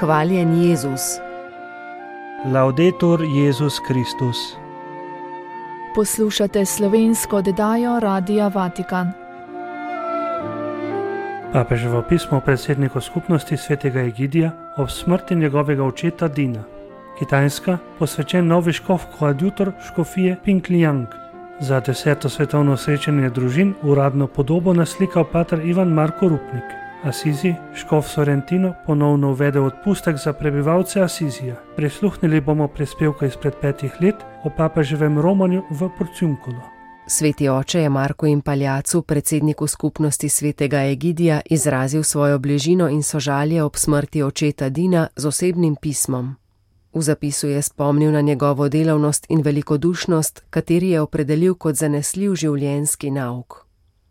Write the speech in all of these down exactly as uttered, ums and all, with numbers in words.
Hvaljen Jezus. Laudetur Jezus Kristus. Poslušate slovensko oddajo Radia Vatikan. Papeževo pismo predsedniku skupnosti svetega Egidija ob smrti njegovega očeta Dina. Kitajska, posvečen novi škof koadjutor škofije Pingliang. Za deseto svetovno srečanje družin uradno podobo naslikal pater Ivan Marko Rupnik. Asizi, škof Sorrentino, ponovno uvedel odpustek za prebivalce Asizija. Prisluhnili bomo prispevka izpred petih let o papeževem romanju v Porciuncolo. Sveti oče je Marku Impaljacu, predsedniku skupnosti svetega Egidija, izrazil svojo bližino in sožalje ob smrti očeta Dina z osebnim pismom. V zapisu je spomnil na njegovo delavnost in velikodušnost, kateri je opredelil kot zanesljiv življenjski nauk.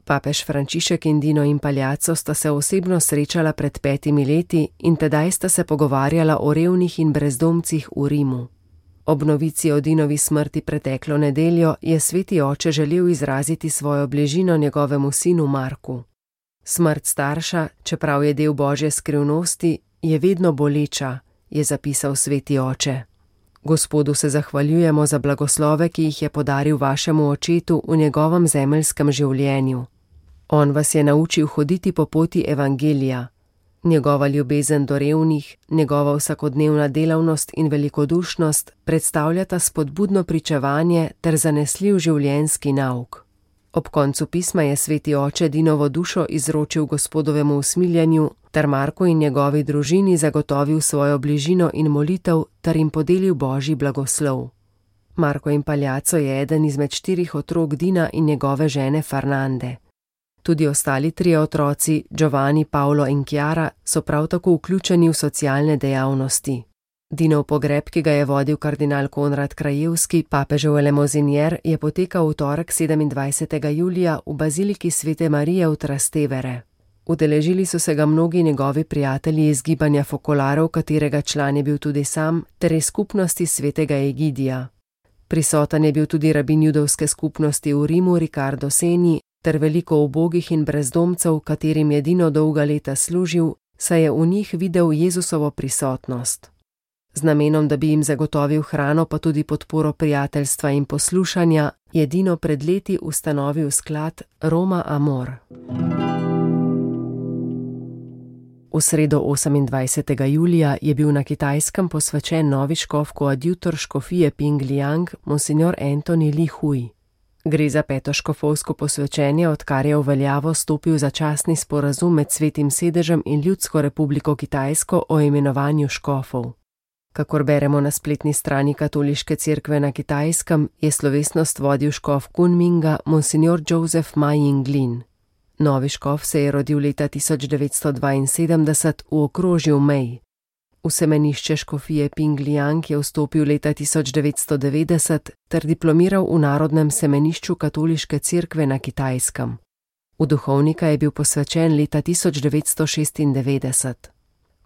Papež Frančišek in Dino Impaljaco sta se osebno srečala pred petimi leti in tedaj sta se pogovarjala o revnih in brezdomcih v Rimu. Ob novici o Dinovi smrti preteklo nedeljo je sveti oče želel izraziti svojo bližino njegovemu sinu Marku. Smrt starša, čeprav je del Božje skrivnosti, je vedno boleča, je zapisal sveti oče. Gospodu se zahvaljujemo za blagoslove, ki jih je podaril vašemu očetu v njegovem zemeljskem življenju. On vas je naučil hoditi po poti evangelija. Njegova ljubezen do revnih, njegova vsakodnevna delavnost in velikodušnost predstavljata spodbudno pričevanje ter zanesljiv življenjski nauk. Ob koncu pisma je sveti oče Dinovo dušo izročil Gospodovemu usmiljenju ter Marku in njegovi družini zagotovil svojo bližino in molitev ter jim podelil Božji blagoslov. Marko Impaljaco je eden izmed štirih otrok Dina in njegove žene Fernande. Tudi ostali trije otroci, Giovanni, Paolo in Chiara, so prav tako vključeni v socialne dejavnosti. Dinov pogreb, ki ga je vodil kardinal Konrad Krajevski, papežev elemozinier, je potekal v torek sedemindvajsetega julija v baziliki Svete Marije v Trastevere. Udeležili so se ga mnogi njegovi prijatelji iz gibanja Fokolarov, katerega član je bil tudi sam, ter iz skupnosti svetega Egidija. Prisoten je bil tudi rabin judovske skupnosti v Rimu Riccardo Segni ter veliko ubogih in brezdomcev, katerim je Dino dolga leta služil, saj je v njih videl Jezusovo prisotnost. Z namenom, da bi jim zagotovil hrano pa tudi podporo prijateljstva in poslušanja, je Dino pred leti ustanovil sklad Roma Amor. V sredo osemindvajsetega julija je bil na Kitajskem posvečen novi škof koadjutor škofije Pingliang, monsignor Anthony Li Hui. Gre za peto škofovsko posvečenje, odkar je v veljavo stopil začasni sporazum med Svetim sedežem in Ljudsko republiko Kitajsko o imenovanju škofov. Kakor beremo na spletni strani Katoliške cerkve na Kitajskem, je slovesnost vodil škof Kunminga, monsignor Joseph Ma Yinglin. Novi škof se je rodil leta tisoč devetsto dvainsedemdeset v okrožju Mei. V semenišče škofije Pingliang je vstopil leta tisoč devetsto devetdeset ter diplomiral v Narodnem semenišču Katoliške cerkve na Kitajskem. V duhovnika je bil posvečen leta tisoč devetsto šestindevetdeset.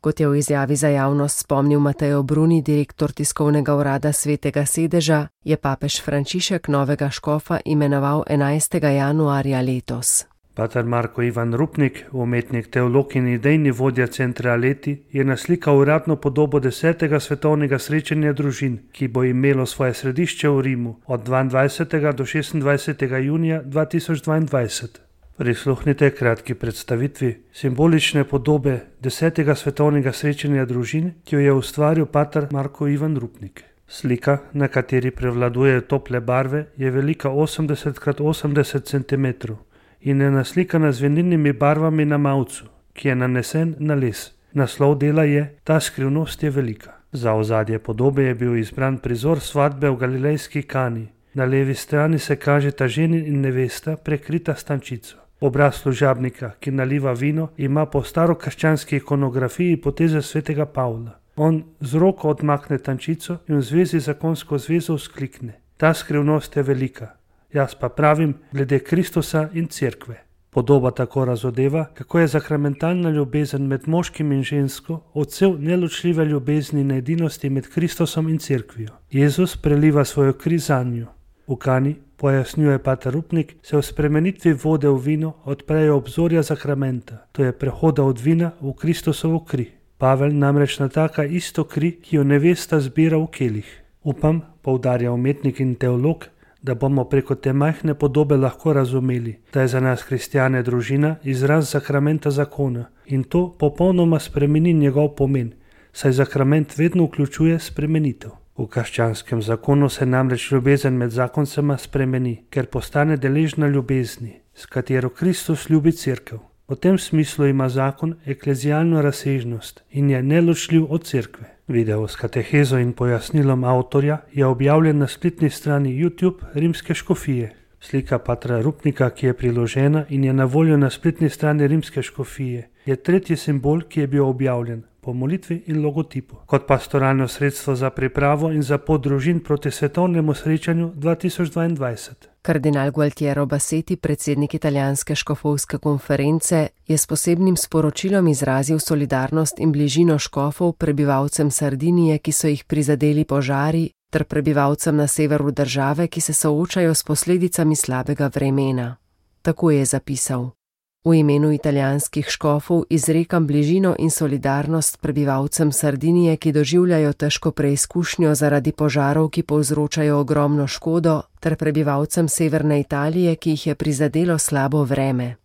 Kot je v izjavi za javnost spomnil Mateo Bruni, direktor tiskovnega urada Svetega sedeža, je papež Frančišek novega škofa imenoval enajstega januarja letos. Pater Marko Ivan Rupnik, umetnik, teolog in idejni vodja centra Aleti, je naslikal uradno podobo desetega svetovnega srečanja družin, ki bo imelo svoje središče v Rimu od dvaindvajsetega do šestindvajsetega junija dva tisoč dvaindvajset. Prisluhnite kratki predstavitvi simbolične podobe desetega svetovnega srečanja družin, ki jo je ustvaril pater Marko Ivan Rupnik. Slika, na kateri prevladujejo tople barve, je velika osemdeset krat osemdeset centimetrov in je naslikana z vinilnimi barvami na mavcu, ki je nanesen na les. Naslov dela je Ta skrivnost je velika. Za ozadje podobe je bil izbran prizor svatbe v galilejski Kani. Na levi strani se kažeta ženin in nevesta prekrita s tančico. Obraz služabnika, ki naliva vino, ima po starokrščanski ikonografiji poteze svetega Pavla. On z roko odmakne tančico in v zvezi z zakonsko zvezo vzklikne: Ta skrivnost je velika. Jaz pa pravim glede Kristusa in cerkve. Podoba tako razodeva, kako je sakramentalna ljubezen med moškim in žensko odsev neločljive ljubezni in edinosti med Kristusom in cerkvijo. Jezus preliva svojo kri zanjo. V Kani, pojasnjuje pater Rupnik, se v spremenitvi vode v vino odprejo obzorja sakramenta, to je prehoda od vina v Kristusovo kri. Pavel namreč nataka isto kri, ki jo nevesta zbira v kelih. Upam, poudarja umetnik in teolog, da bomo preko te majhne podobe lahko razumeli, da je za nas kristjane družina izraz sakramenta zakona in to popolnoma spremeni njegov pomen, saj sakrament vedno vključuje spremenitev. V krščanskem zakonu se namreč ljubezen med zakoncema spremeni, ker postane deležna ljubezni, s katero Kristus ljubi cerkev. V tem smislu ima zakon eklezialno razsežnost in je neločljiv od cerkve. Video s katehezo in pojasnilom avtorja je objavljen na spletni strani YouTube Rimske škofije. Slika patra Rupnika, ki je priložena in je na voljo na spletni strani Rimske škofije, je tretji simbol, ki je bil objavljen po molitvi in logotipu, kot pastoralno sredstvo za pripravo in za pot družin proti svetovnemu srečanju dva tisoč dvaindvajset. Kardinal Gualtiero Bassetti, predsednik italijanske škofovske konference, je s posebnim sporočilom izrazil solidarnost in bližino škofov prebivalcem Sardinije, ki so jih prizadeli požari, ter prebivalcem na severu države, ki se soočajo s posledicami slabega vremena. Tako je zapisal: V imenu italijanskih škofov izrekam bližino in solidarnost prebivalcem Sardinije, ki doživljajo težko preizkušnjo zaradi požarov, ki povzročajo ogromno škodo, ter prebivalcem severne Italije, ki jih je prizadelo slabo vreme.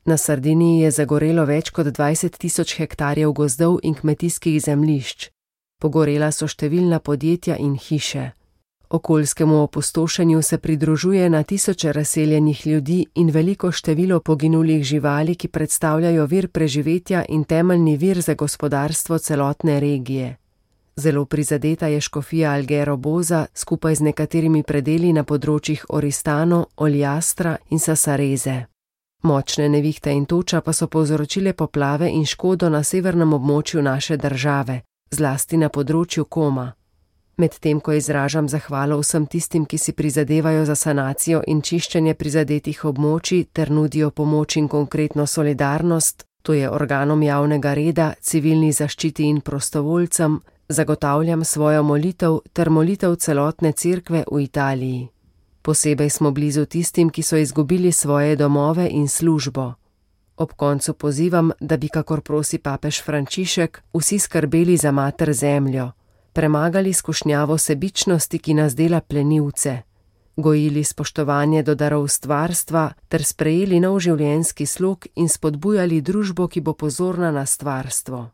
Na Sardiniji je zagorelo več kot dvajset tisoč hektarjev gozdov in kmetijskih zemljišč. Pogorela so številna podjetja in hiše. Okoljskemu opustošenju se pridružuje na tisoče razseljenih ljudi in veliko število poginulih živali, ki predstavljajo vir preživetja in temeljni vir za gospodarstvo celotne regije. Zelo prizadeta je škofija Alghero Boza skupaj z nekaterimi predeli na področjih Oristano, Oljastra in Sassarese. Močne nevihte in toča pa so povzročile poplave in škodo na severnem območju naše države, zlasti na področju Koma. Medtem ko izražam zahvalo vsem tistim, ki si prizadevajo za sanacijo in čiščenje prizadetih območij ter nudijo pomoč in konkretno solidarnost, to je organom javnega reda, civilni zaščiti in prostovoljcem, zagotavljam svojo molitev ter molitev celotne cerkve v Italiji. Posebej smo blizu tistim, ki so izgubili svoje domove in službo. Ob koncu pozivam, da bi, kakor prosi papež Frančišek, vsi skrbeli za mater zemljo, premagali skušnjavo sebičnosti, ki nas dela plenilce, gojili spoštovanje do darov stvarstva ter sprejeli nov življenjski slog in spodbujali družbo, ki bo pozorna na stvarstvo.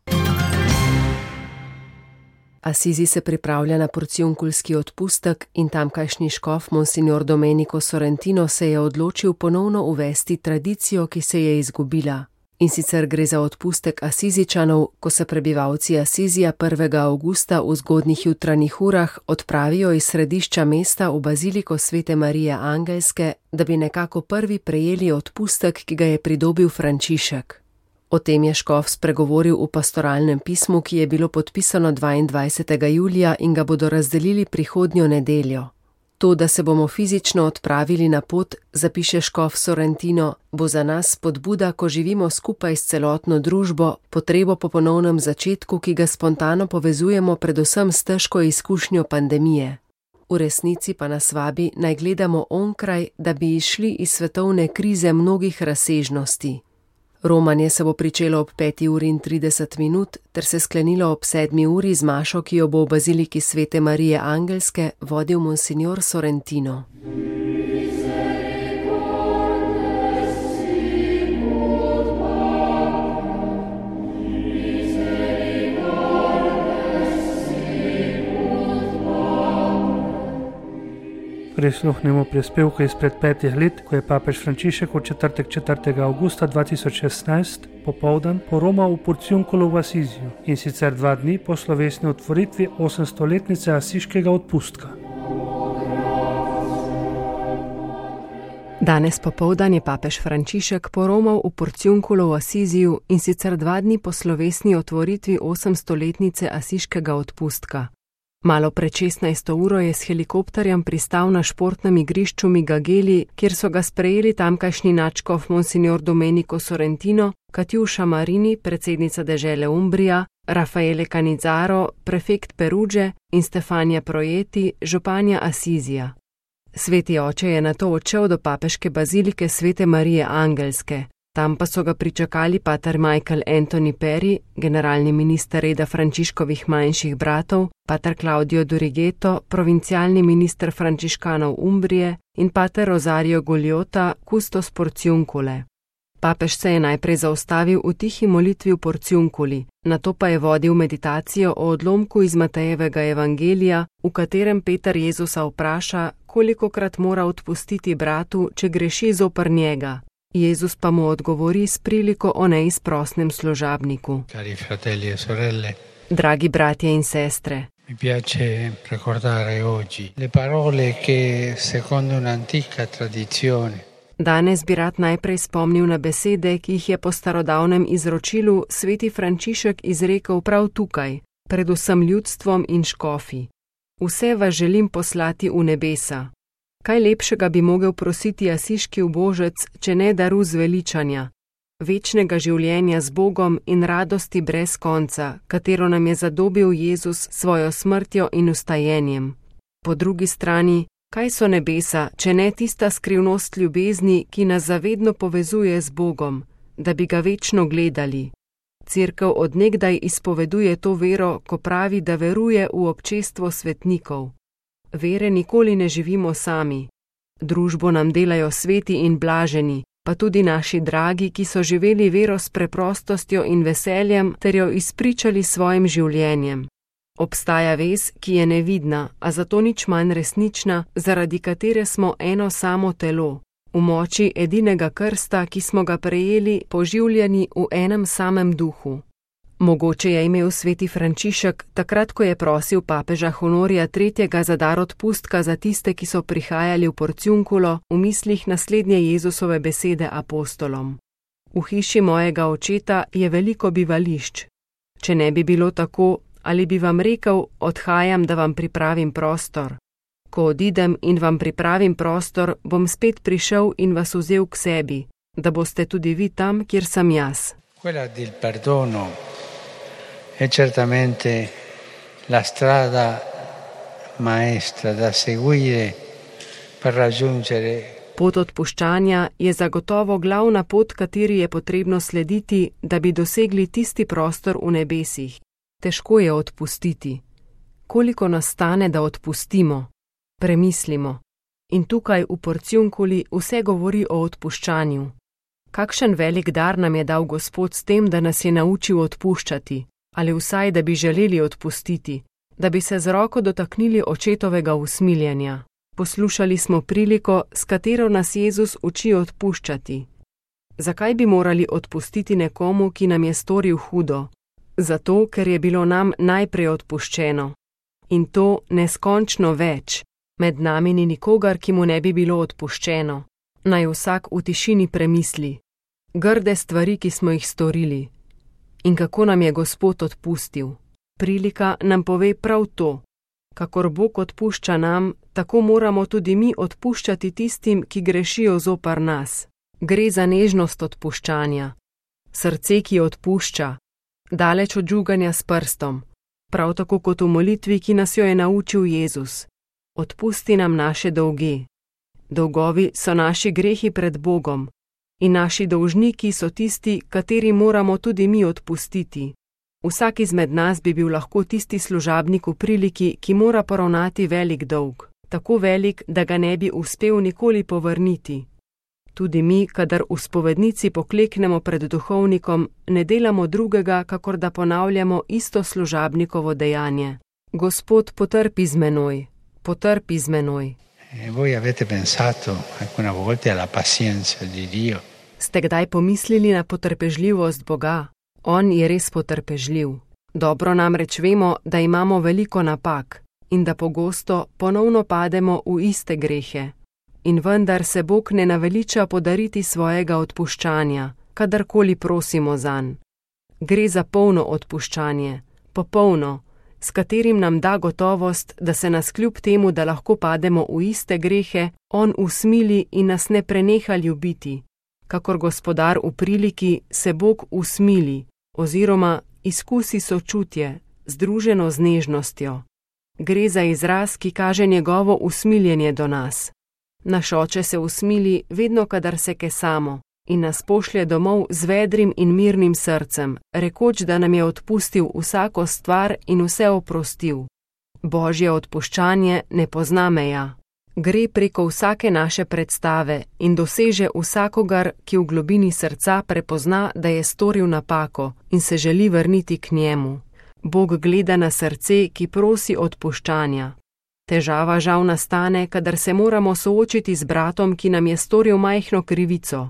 Asizi se pripravlja na porciunkulski odpustek in tamkajšnji škof Monsignor Domenico Sorrentino se je odločil ponovno uvesti tradicijo, ki se je izgubila. In sicer gre za odpustek Asizičanov, ko se prebivalci Asizija prvega avgusta v zgodnjih jutranjih urah odpravijo iz središča mesta v baziliko Svete Marije Angelske, da bi nekako prvi prejeli odpustek, ki ga je pridobil Frančišek. O tem je škof spregovoril v pastoralnem pismu, ki je bilo podpisano dvaindvajsetega julija in ga bodo razdelili prihodnjo nedeljo. To, da se bomo fizično odpravili na pot, zapiše škof Sorrentino, bo za nas spodbuda, ko živimo skupaj s celotno družbo, potrebo po ponovnem začetku, ki ga spontano povezujemo predvsem s težko izkušnjo pandemije. V resnici pa nas vabi, naj gledamo onkraj, da bi izšli iz svetovne krize mnogih razsežnosti. Romanje se bo pričelo ob peti uri in trideset minut ter se sklenilo ob sedmi uri z mašo, ki jo bo v baziliki Svete Marije Angelske vodil Monsignor Sorrentino. Prisluhnemo prispevku izpred petih let, ko je papež Frančišek v četrtek četrtega avgusta dva tisoč šestnajst popoldan poromal v Porciunkulu v Asiziju in sicer dva dni po slovesni otvoritvi osemstoletnice asiškega odpustka. Danes popoldan je papež Frančišek poromal v Porciunkulu v Asiziju in sicer dva dni po slovesni otvoritvi osemstoletnice asiškega odpustka. Malo pred šestnajsto uro je s helikopterjem pristal na športnem igrišču Migageli, kjer so ga sprejeli tamkajšnji nadškof Monsignor Domenico Sorrentino, Katjuša Marini, predsednica dežele Umbrija, Raffaele Cannizzaro, prefekt Peruge in Stefania Projeti, županja Asizija. Sveti oče je nato odšel do papeške bazilike Svete Marije Angelske. Tam pa so ga pričakali pater Michael Anthony Perry, generalni minister reda Frančiškovih manjših bratov, pater Claudio Durigeto, provincialni minister frančiškanov Umbrije in pater Rosario Gugliota, kustos Porciuncule. Papež se je najprej zaustavil v tihi molitvi v Porciunculi, nato pa je vodil meditacijo o odlomku iz Matejevega evangelija, v katerem Peter Jezusa vpraša, kolikokrat mora odpustiti bratu, če greši zoper njega. Jezus pa mu odgovori s priliko o neizprosnem služabniku. Cari fratelli e sorelle, Dragi bratje in sestre, mi piace ricordare oggi le parole che, secondo un'antica tradizione, danes bi rad najprej spomnil na besede, ki jih je po starodavnem izročilu sveti Frančišek izrekel prav tukaj, predvsem ljudstvom in škofi. Vse vas želim poslati v nebesa. Kaj lepšega bi mogel prositi asiški ubožec, če ne daru zveličanja, večnega življenja z Bogom in radosti brez konca, katero nam je zadobil Jezus svojo smrtjo in vstajenjem. Po drugi strani, kaj so nebesa, če ne tista skrivnost ljubezni, ki nas zavedno povezuje z Bogom, da bi ga večno gledali? Cerkev od nekdaj izpoveduje to vero, ko pravi, da veruje v občestvo svetnikov. Vere nikoli ne živimo sami. Družbo nam delajo sveti in blaženi, pa tudi naši dragi, ki so živeli vero s preprostostjo in veseljem ter jo izpričali svojim življenjem. Obstaja vez, ki je nevidna, a zato nič manj resnična, zaradi katere smo eno samo telo, v moči edinega krsta, ki smo ga prejeli, poživljeni v enem samem duhu. Mogoče je imel sveti Frančišek, takrat ko je prosil papeža Honorija tretjega za dar odpustka za tiste, ki so prihajali v Porciunculo, v mislih naslednje Jezusove besede apostolom. V hiši mojega očeta je veliko bivališč. Če ne bi bilo tako, ali bi vam rekel, odhajam, da vam pripravim prostor. Ko odidem in vam pripravim prostor, bom spet prišel in vas vzel k sebi, da boste tudi vi tam, kjer sem jaz. Quella del perdono è certamente la strada maestra da seguire per raggiungere. Pot odpuščanja je zagotovo glavna pot, kateri je potrebno slediti, da bi dosegli tisti prostor v nebesih. Težko je odpustiti. Koliko nas stane, da odpustimo? Premislimo. In tukaj v Porciunculi vse govori o odpuščanju. Kakšen velik dar nam je dal Gospod s tem, da nas je naučil odpuščati, ali vsaj, da bi želeli odpustiti, da bi se z roko dotaknili očetovega usmiljenja. Poslušali smo priliko, s katero nas Jezus uči odpuščati. Zakaj bi morali odpustiti nekomu, ki nam je storil hudo? Zato, ker je bilo nam najprej odpuščeno. In to neskončno več. Med nami ni nikogar, ki mu ne bi bilo odpuščeno. Naj vsak v tišini premisli. Grde stvari, ki smo jih storili. In kako nam je Gospod odpustil. Prilika nam pove prav to. Kakor Bog odpušča nam, tako moramo tudi mi odpuščati tistim, ki grešijo zoper nas. Gre za nežnost odpuščanja. Srce, ki odpušča. Daleč od žuganja s prstom. Prav tako kot v molitvi, ki nas jo je naučil Jezus. Odpusti nam naše dolge. Dolgovi so naši grehi pred Bogom. In naši dolžniki so tisti, kateri moramo tudi mi odpustiti. Vsak izmed nas bi bil lahko tisti služabnik v priliki, ki mora poravnati velik dolg. Tako velik, da ga ne bi uspel nikoli povrniti. Tudi mi, kadar v spovednici pokleknemo pred duhovnikom, ne delamo drugega, kakor da ponavljamo isto služabnikovo dejanje. Gospod, potrpi z menoj, potrpi z menoj. E voi avete pensato alcune volte alla pazienza di Dio? Ste kdaj pomislili na potrpežljivost Boga? On je res potrpežljiv. Dobro namreč vemo, da imamo veliko napak in da pogosto ponovno pademo v iste grehe. In vendar se Bog ne naveliča podariti svojega odpuščanja, kadarkoli prosimo zanj. Gre za polno odpuščanje, popolno, s katerim nam da gotovost, da se nas kljub temu, da lahko pademo v iste grehe, on usmili in nas ne preneha ljubiti. Kakor gospodar v priliki se Bog usmili, oziroma izkusi sočutje, združeno z nežnostjo. Gre za izraz, ki kaže njegovo usmiljenje do nas. Naš oče se usmili vedno, kadar se kesamo, in nas pošlje domov z vedrim in mirnim srcem, rekoč, da nam je odpustil vsako stvar in vse oprostil. Božje odpuščanje ne pozna meja. Gre preko vsake naše predstave in doseže vsakogar, ki v globini srca prepozna, da je storil napako in se želi vrniti k njemu. Bog gleda na srce, ki prosi odpuščanja. Težava žal nastane, kadar se moramo soočiti z bratom, ki nam je storil majhno krivico.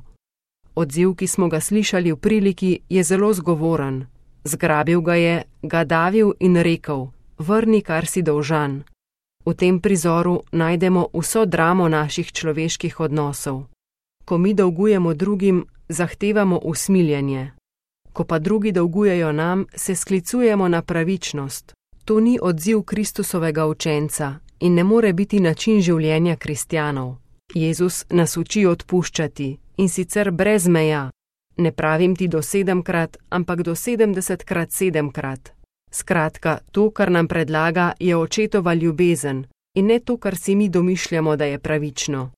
Odziv, ki smo ga slišali v priliki, je zelo zgovoren. Zgrabil ga je, ga davil in rekel: vrni, kar si dolžan. V tem prizoru najdemo vso dramo naših človeških odnosov. Ko mi dolgujemo drugim, zahtevamo usmiljenje. Ko pa drugi dolgujejo nam, se sklicujemo na pravičnost. To ni odziv Kristusovega učenca in ne more biti način življenja kristjanov. Jezus nas uči odpuščati, in sicer brez meja. Ne pravim ti do sedemkrat, ampak do sedemdesetkrat sedemkrat. Skratka, to, kar nam predlaga, je očetova ljubezen in ne to, kar si mi domišljamo, da je pravično.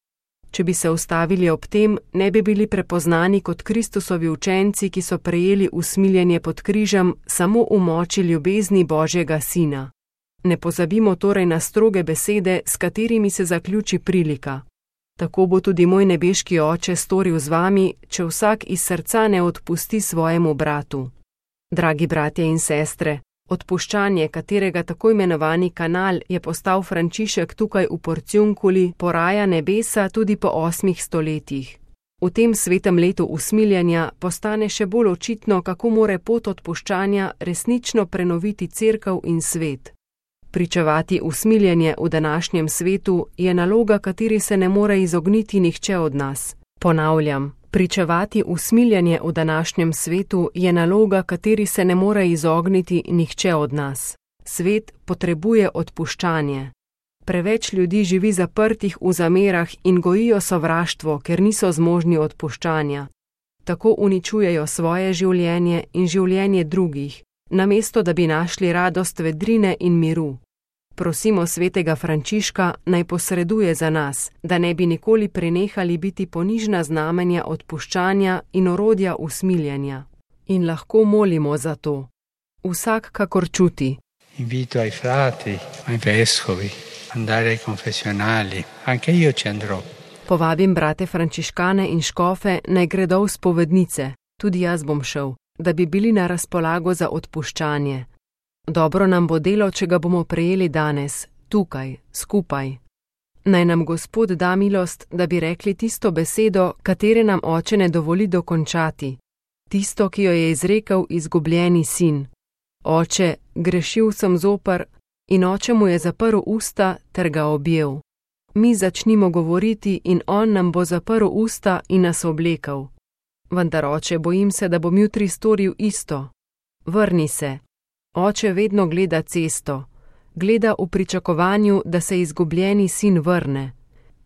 Če bi se ustavili ob tem, ne bi bili prepoznani kot Kristusovi učenci, ki so prejeli usmiljenje pod križem samo v moči ljubezni Božjega Sina. Ne pozabimo torej na stroge besede, s katerimi se zaključi prilika. Tako bo tudi moj nebeški Oče storil z vami, če vsak iz srca ne odpusti svojemu bratu. Dragi bratje in sestre, odpuščanje, katerega tako imenovani kanal je postal Frančišek tukaj v Porciunculi, poraja nebesa tudi po osmih stoletjih. V tem svetem letu usmiljenja postane še bolj očitno, kako more pot odpuščanja resnično prenoviti cerkev in svet. Pričevati usmiljenje v današnjem svetu je naloga, kateri se ne more izogniti nihče od nas. Ponavljam, pričevati usmiljenje v današnjem svetu je naloga, kateri se ne more izogniti nihče od nas. Svet potrebuje odpuščanje. Preveč ljudi živi zaprtih v zamerah in gojijo sovraštvo, ker niso zmožni odpuščanja. Tako uničujejo svoje življenje in življenje drugih, namesto da bi našli radost vedrine in miru. Prosimo svetega Frančiška, naj posreduje za nas, da ne bi nikoli prenehali biti ponižna znamenja odpuščanja in orodja usmiljenja. In lahko molimo za to. Vsak kakor čuti. Invito ai frati, ai vescovi, andare ai confessionali. Anche io ci andrò. Povabim brate frančiškane in škofe, naj gredo v spovednice. Tudi jaz bom šel, da bi bili na razpolago za odpuščanje. Dobro nam bo delo, če ga bomo prejeli danes, tukaj, skupaj. Naj nam Gospod da milost, da bi rekli tisto besedo, katere nam Oče ne dovoli dokončati. Tisto, ki jo je izrekel izgubljeni sin. Oče, grešil sem zoper, in Oče mu je zaprl usta ter ga objel. Mi začnimo govoriti in on nam bo zaprl usta in nas oblekel. Vendar, Oče, bojim se, da bom jutri storil isto. Vrni se. Oče vedno gleda cesto, gleda v pričakovanju, da se izgubljeni sin vrne.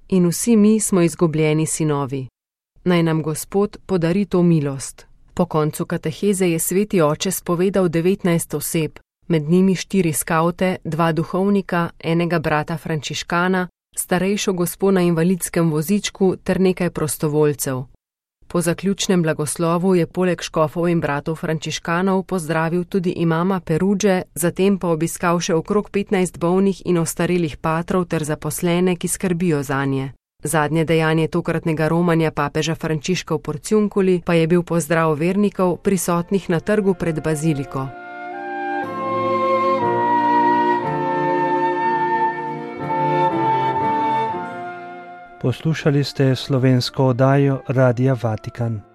In vsi mi smo izgubljeni sinovi. Naj nam Gospod podari to milost. Po koncu kateheze je sveti Oče spovedal devetnajst oseb, med njimi štiri skavte, dva duhovnika, enega brata frančiškana, starejšo gospo na invalidskem vozičku ter nekaj prostovoljcev. Po zaključnem blagoslovu je poleg škofov in bratov frančiškanov pozdravil tudi imama Perudže, zatem pa obiskal še okrog petnajst bolnih in ostarelih patrov ter zaposlene, ki skrbijo zanje. Zadnje dejanje tokratnega romanja papeža Frančiška v Porciunculi pa je bil pozdrav vernikov prisotnih na trgu pred baziliko. Poslušali ste slovensko oddajo Radia Vatikan.